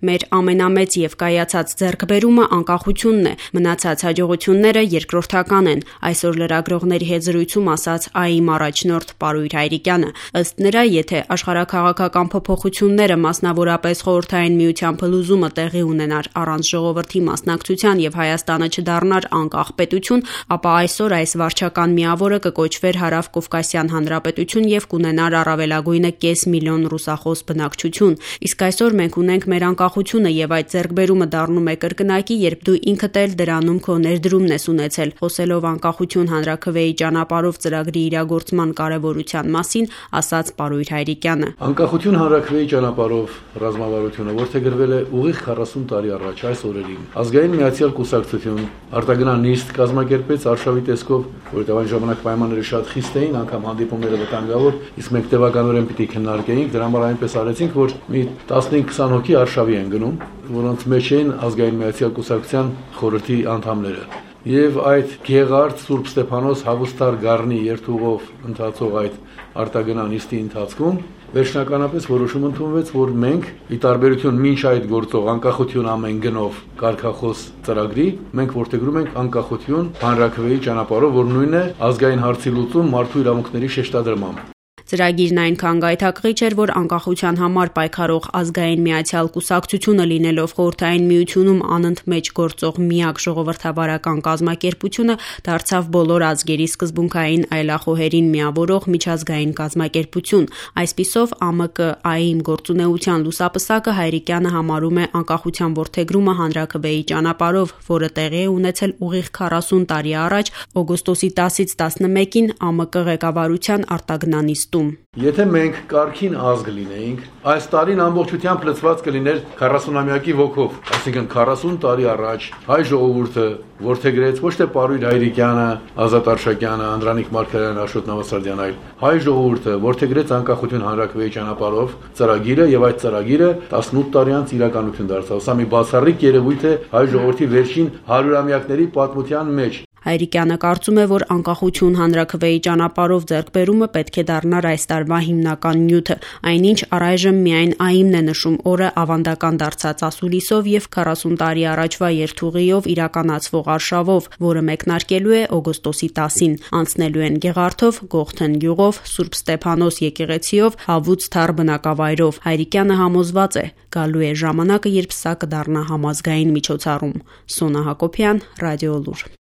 Մեր ամենամեծ եւ կայացած ձեռքբերումը անկախությունն է, մնացած հաջողությունները երկրորդական են, այսօր լրագրողների հետ զրույցում ասաց ԱԻ-մ առաջնորդ Պարույր Հայրիկյանը։ Ըստ նրա, եթե աշխարհաքաղաքական փոփոխությունները, մասնավորապես Խորհրդային Միության փլուզումը տեղի ունենար առանց ժողովրդի մասնակցության եւ Հայաստանը չդառնար անկախ պետություն, ապա այսօր այս վարչական միավորը կկոչվեր Հարավկովկասյան Հանրապետություն եւ կունենար առավելագույնը 500 միլիոն ռուսախոս բնակչություն։ Իսկ այսօր մենք ունենք մեր անկախությունը եւ այդ ձեռքբերումը դառնում է կրկնակի, երբ դու ինքդ էլ դրանում քո ներդրումն ես ունեցել։ Խոսելով անկախություն հանրաքվեի ճանապարհով ծրագրի իրագործման կարեւորության մասին, ասաց Պարույր Հայրիկյանը։ Անկախություն հանրաքվեի ճանապարհով ռազմավարությունը որդեգրվել է ուղիղ 40 տարի առաջ այս օրերին։ Ազգային միացյալ կուսակցություն արտագնան նիստ կազմակերպեց արշավի տեսքով, որովհետեւ այն ժամանակ պայմանները շատ խիստ էին, անգամ հանդիպումները վտանգավոր, իսկ մենք տևականորեն պիտի քննարկեինք, դրա համար այնպես արեցինք, որ մի 15-20 հոգի արշավի են գնում, որոնց մեջ են ազգային միացյալ կուսակցության խորհրդի անդամները։ Եվ այդ Գեղարդ, Սուրբ Ստեփանոս, Հաղուստար Գառնի երթուղով ընթացող այդ արտագնան նիստի ընթացքում վերջնականապես որոշում ընդունվեց, որ մենք, ի տարբերություն մինչ այդ գործող անկախություն ամեն գնով կարգախոս ծրագրի, մենք որդեգրում ենք անկախություն հանրաքվեի ճանապարհով, որ նույնն է ազգային հարցի լուծում մարդու իրավունքների շեշտադրմամբ։ Ծրագիրն այնքան գայթակղիչ էր, որ անկախության համար պայքարող ազգային միացյալ կուսակցությունը լինելով Խորհրդային Միությունում անընդմեջ գործող միակ ժողովրդավարական կազմակերպությունը դարձավ բոլոր ազգերի սկզբունքային այլախոհերին միավորող միջազգային կազմակերպություն։ Այսպիսով ԱՄԿ-ԱԻ-մ գործունեության լուսապսակը Հայրիկյանը համարում է անկախության որդեգրումը հանրաքվեի ճանապարհով, որը տեղի է ունեցել ուղիղ 40 տարի առաջ օգոստոսի 10-ից 11-ին ԱՄԿ ղեկավարության արտագնանիստում։ Եթե մենք կարգին ազգ լինեինք, այս տարին ամբողջությամբ լծված կլիներ 40-ամյակի ոգով, այսինքն 40 տարի առաջ հայ ժողովուրդը որդեգրեց ոչ թե Պարույր Հայրիկյանը, Ազատ Արշակյանը, Անդրանիկ Մարգարյանը, Աշոտ Նավասարդյանը, այլ հայ ժողովուրդը որդեգրեց անկախություն հանրաքվեի ճանապարհով ծրագիրը եւ այդ ծրագիրը 18 տարի անց իրականություն դարձավ։ Սա մի բացառիկ երևույթ է հայ ժողովրդի վերջին 100-ամյակների պատմության մեջ։ Հայրիկյանը կարծում է, որ անկախություն հանրաքվեի ճանապարհով ձեռքբերումը պետք է դառնար այս տարվա հիմնական նյութը, այնինչ առայժմ միայն ԱԻ-մն է նշում օրը ավանդական դարձած ասուլիսով եւ 40 տարի առաջվա երթուղիով իրականացվող արշավով, որը մեկնարկելու է օգոստոսի 10-ին, անցնելու են Գեղարդով, Գողթեն գյուղով, Սուրբ Ստեփանոս եկեղեցիով, Հավուց Թար բնակավայրով։ Հայրիկյանը համոզված է, գալու է ժամանակը, երբ սա կդառնա համազգային միջոցառում։ Սոնա Հակոբյան, Ռադիոլուր։